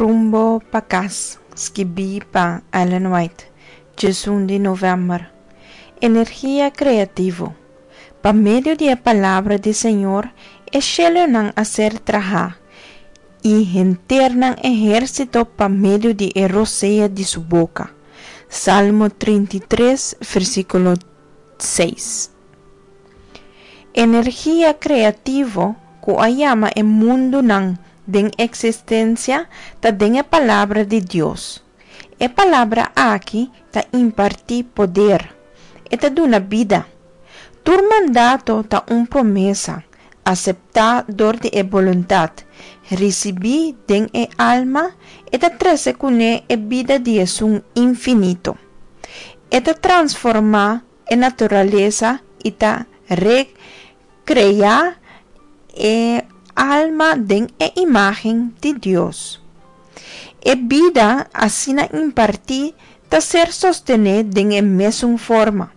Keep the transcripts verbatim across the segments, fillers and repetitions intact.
Rumbo pa Kas, skibí pa Ellen White, diesun di novèmber. Energia kreativo. Pa medio di e palabra di Señor e shelunan a ser trahá, i henter nan ehérsito pa medio di e rosea di su boka. Salmo trinta i tres, versíkulo seis. Energia kreativo ku a yama e mundunan den eksistensia ta den e Palabra di Dios. E Palabra aki ta impartí poder. E ta duna bida. Tur mandato ta un promesa, aseptá dor di e boluntat, risibí den e alma, e ta trese kuné e bida di esun infinito. E ta transformá e naturalesa i ta rekreá e alma den e imágen di Dios. E bida asina impartí ta ser sostené den e mesun forma,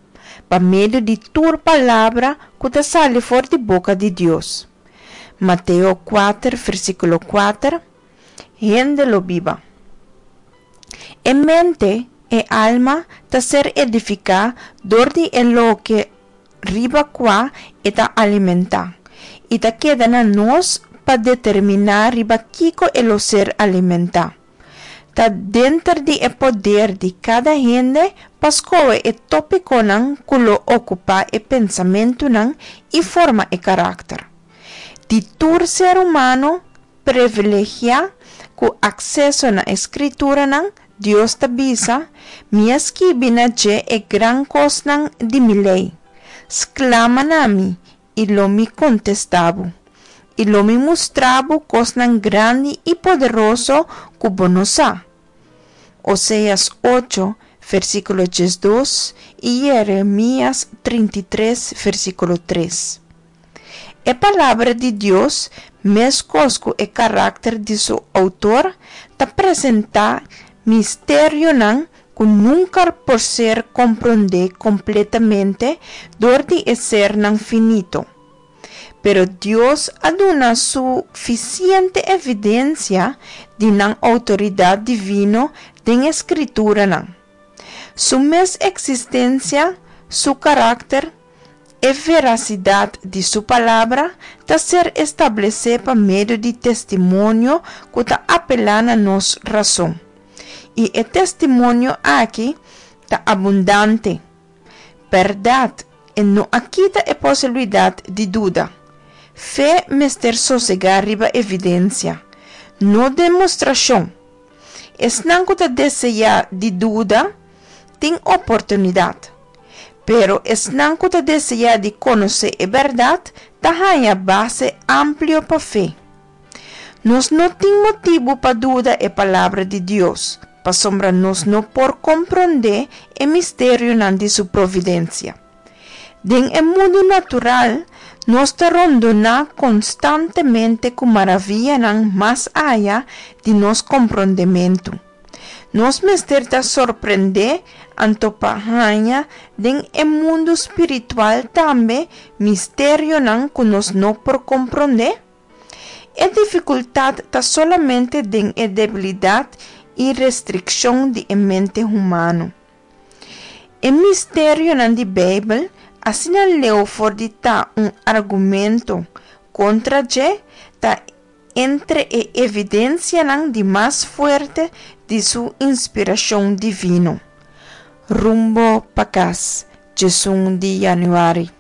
pa medio di tur palabra ku ta sali for di boka di Dios. Mateo kuater, versíkulo kuater, Hende lo biba. E mente, e alma, ta ser edifiká dor di e loke riba kua e ta alimentá, i ta keda na nos pa determiná riba kiko e lo ser alimentá. Ta denter di e poder di kada hende pa skohe e tópikonan ku lo okupá e pensamentunan i forma e karakter. Di tur ser humano privilegiá ku akseso na e Skrituranan, Dios ta bisa, Mi a skibi na dje e gran kosnan di mi lei. Sklama na mi, i lo mi kontestá bo, i lo mi mustra bo kosnan grandi i poderoso ku bo no sa. Oseas ocho, versíkulo diesdos i Yeremías trinta i tres, versíkulo tres. E Palabra di Dios, meskos ku e karakter di su outor, ta presentá misterionan ku nunka por ser komprondé kompletamente dor di e sernan finito. Pero Dios a duna sufisiente evidensia di nan outoridat divino den e Skrituranan. Su mes eksistensia, su karakter, e verasidat di su Palabra ta ser establesé pa medio di testimonio ku ta apelá na nos rason. I e testimonio aki ta abundante. Bèrdat, e no a kita e posibilidat di duda. Fe mester sosegá riba evidensia, no demostrashon. Esnan ku ta deseá di duda tin oportunidat, pero esnan ku ta deseá di konosé e bèrdat ta haña base amplio pa fe. Nos no tin motibu pa duda e Palabra di Dios, pasobra nos no por komprondé e misterionan di su providensia. Den e mundu natural, nos ta rondoná konstantemente ku maravianan mas aya di nos komprondementu. Nos mester ta sorprendé anto pa haña den e mundu spiritual tambe misterionan ku nos no por komprondé? E difikultat ta solamente den e debilidat i restrikshon di e mente humano. E misterionan di Beibel asina leu for di ta un argumento kontra dje, ta entre e evidensianan di mas fuerte di su inspirashon divino. Rumbo pa kas, diesun di yanüari.